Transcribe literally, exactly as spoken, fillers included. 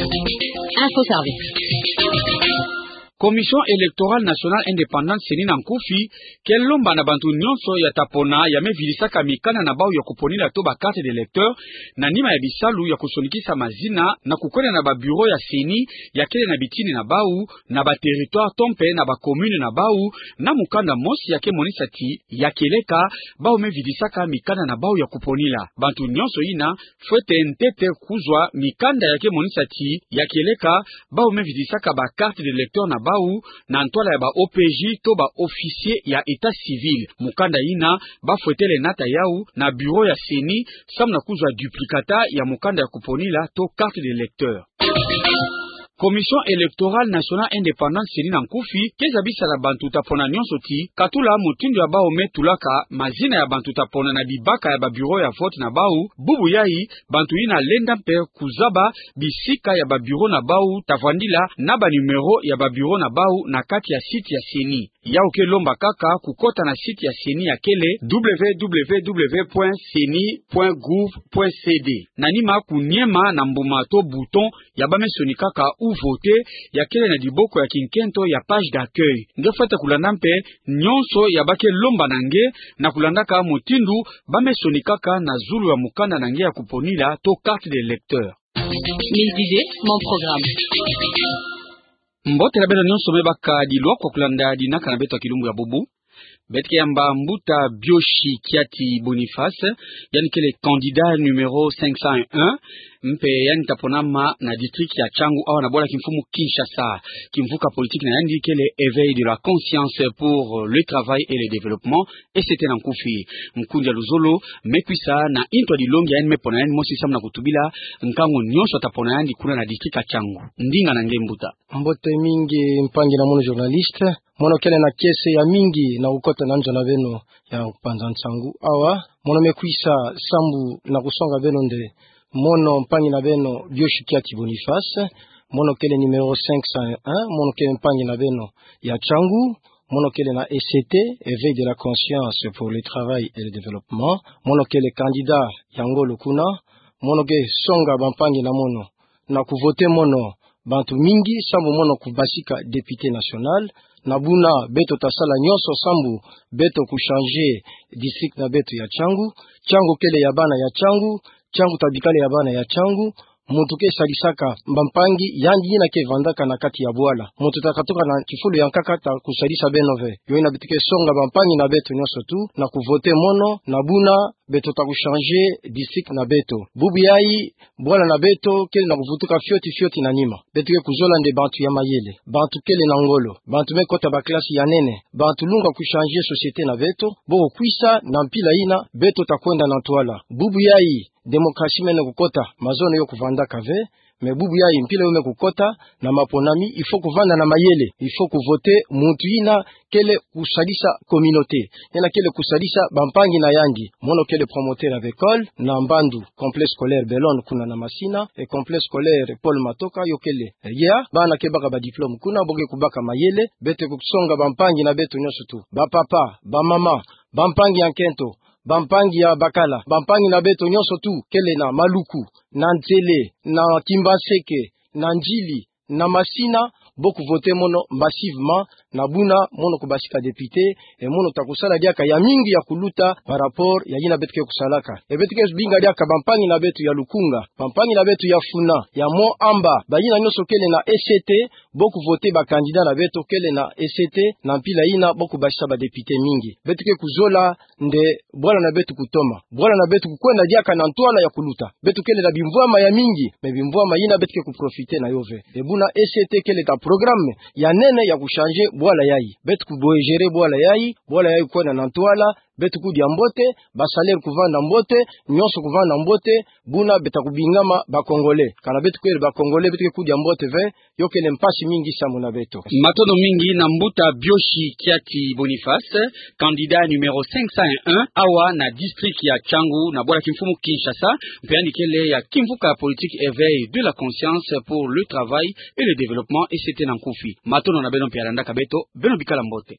Info Service. Commission Électorale Nationale Indépendante, CENI, na nkufi, ke lomba na bantu nyonso ya ta pona ya me vidisaka mikanda na bau ya kuponila to ba carte d'électeur, na nima ya bisalu ya kusonikisa mazina na kukwenda na ba bureau ya CENI ya kele na bitini na bau, na ba territoire to mpe na ba commune na bau, na mukanda mosi ya ke monisa ti ya kieleka bau me vidisaka mikanda na bau ya kuponila. Bantu nyonso yina fwete ntete kuzwa mikanda ya ke monisa ti ya kieleka bau me vidisaka ba carte d'électeur na bau na ntwala ya ba OPJ to ba officier ya état civil. Mukanda yina ba fwetele nata yau na bureau ya CENI, samu na kuzwa duplicata ya mukanda ya kuponila to carte d'électeur. Commission Électorale Nationale Indépendante, CENI, na nkufi, ke zabisa na bantu ta pona nyonso ti, katula mutindu ya bau me tulaka mazina ya bantu ta pona na bibaka ya ba bureau ya vote na bau, bubu yai, bantu yina lenda mpe kuzaba bisika ya ba bureau na bau ta vwandila na ba numéro ya ba bureau na bau na kati ya site ya CENI. Yau ke lomba kaka kukota na site ya CENI ya kele www.ceni.gouv.cd. Na nima kuniema na mbuma to bouton ya ba me sonikaka ou voter ya kele na diboko ya kinkento ya page d'accueil. Nge fwete kulanda mpe nyonso ya ba ke lomba na nge na kulandaka mutindu ba me sonikaka na zulu ya mukanda na nge ya kuponila to carte d'électeur. Mille dix-huit, mon programme. Mbote na beno nyonso me baka dilwa kwa kulanda dinaka na beto ya kilumbu ya bubu. Beto ke yamba mbuta Bioshi Kiati Boniface, yandi kele candidat numéro cinq cent un, mpe yandi ta ponama na district ya Changu awa na bwala kimfumu Kinshasa. Kimvuka politique na yandi kele Éveil de la conscience pour le travail et le développement, E C T na nkufi. Nkundi ya luzolo me kwisa na ntu ya dilongi ya yandi me pona yandi mosi samu na kutubila nkangu nyonso ta pona yandi kuna na district ya Changu. Ndinga na nge mbuta. Mbote mingi mpangi na mono journaliste. Mono kele na kiese ya mingi na kukota na nzo na beno ya kupanza nsangu awa. Mono me kwisa sambu na kusonga beno nde mono mpangi na beno Bioshi Kiati Boniface. Mono kele numéro cinq cent un. Mono kele mpangi na beno ya Changu. Mono kele na E C T, Éveil de la conscience pour le travail et le développement. Mono kele candidat ya ngolo kuna. Mono ke songa bampangi na mono na kuvoter mono bantu mingi sambu mono kubasika député national. Na buna beto ta sala nyonso sambu beto kuchanger district na beto ya Changu. Changu kele ya bana ya Changu. Changu ta bikala ya bana ya Changu. Muntu ke sadisaka bampangi, yandi yina ke vandaka na kati ya bwala. Muntu ta katuka na kifulu ya nkaka ta kusadisa beno ve. Yo yina beto ke songa bampangi na beto nyonso tu na kuvoter mono, na buna beto ta kuchanger district na beto. Bubu yai, bwala na beto kele na kuvutuka fioti fioti na nima. Beto ke kuzola nde bantu ya mayele, bantu kele na ngolo, bantu me kota ba classe ya nene, bantu lunga kuchanger société na beto. Bo kukwisa na mpila yina, beto ta kwenda na ntwala. Bubu yai, démocratie mene kukota, mazono yo kuvandaka ve. Mais bubu yai, mpila yo me kukota na maponami, il faut kuvanda na mayele, il faut kuvoter muntu yina kele kusadisa communauté, yina kele kusadisa bampangi na yandi. Mono kele promoteur ya ba école na Mbandu, complexe scolaire Belonne kuna na Masina, et complexe scolaire Paul Matoka, yo kele. Ya, bana ke baka ba diplôme kuna, bo ke kubaka mayele. Beto ke kusonga bampangi na beto nyonso tu, bapapa, bamama, bampangi ya nkento, bampangi ya bakala, bampangi na beto nyonso tu kele na Maluku, na Nsele, na Kimbanseke, na Ndjili, na Masina, bo kuvoter mono massivement, na buna mono kubasika député, et mono ta kusala diaka ya mingi ya kuluta par rapport ya yina beto ke kusalaka. Et beto ke binga diaka bampangi na beto ya Lukunga, bampangi na beto ya Funa, ya Mont Amba, bayina nyonso kele na E C T, bo kuvoter ba candidat na beto kele na E C T, na mpila yina bo kubasisa ba député mingi. Beto ke kuzola nde bwala na beto kutoma. Bwala na beto kukwenda diaka na ntwala ya kuluta. Beto kele na bimvwama ya mingi, mais bimvwama yina beto ke kuprofiter na yo ve. Et buna E C T kele ta programme ya nene ya kuchanger bwala yai. Beto kubouger bwala yai, bwala yai kukwenda na ntwala, beto kudia mbote, ba salaire kuvanda mbote, nyonso kuvanda mbote, buna beto ta kubingama ba Congolais. Kana beto kele ba Congolais, beto ke kudia mbote ve, yo kele mpasi mingi samu na beto. Matondo mingi na mbuta Bioshi Kiati Boniface, candidat numéro cinq cent un, awa na district ya Changu, na bwala kimfumu Kinshasa, mpe yandi kele ya kimvuka politique Éveil de la conscience pour le travail et le développement, E C T na nkufi. Matondo na beno mpe ya landaka beto, beno bikala mbote.